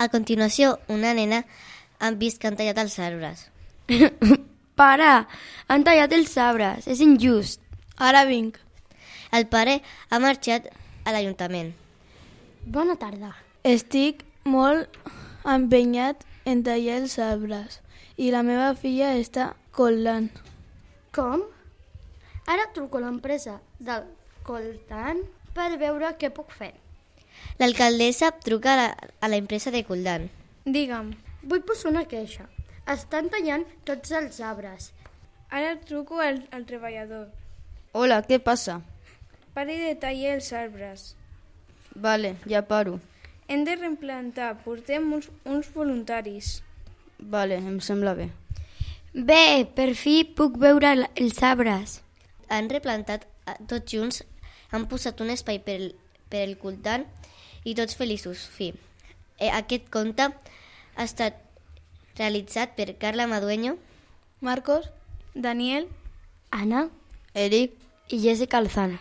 A continuació, una nena han vist que han tallat els arbres. Para! Han tallat els arbres. És injust. Ara vinc. El pare ha marxat a l'Ajuntament. Bona tarda. Estic molt empenyat en tallar els arbres i la meva filla està collant. Com? Ara truco a l'empresa del Coltan per veure què puc fer. L'alcaldessa truca a la empresa de Coldan. Digue'm, Vull posar una queixa. Estan tallant tots els arbres. ara truco al treballador. Hola, què passa? Pare de tallar els arbres. Vale, ja paro. Hem de replantar, portem uns voluntaris. Vale, em sembla bé. Bé, per fi puc veure els arbres. Han replantat tots junts, han posat un espai per el Coldan i tots feliços. Fi. Aquest conte ha estat realitzat per Carla Madueño, Marcos? Daniel, Anna? Eric? I Jessica Alzano.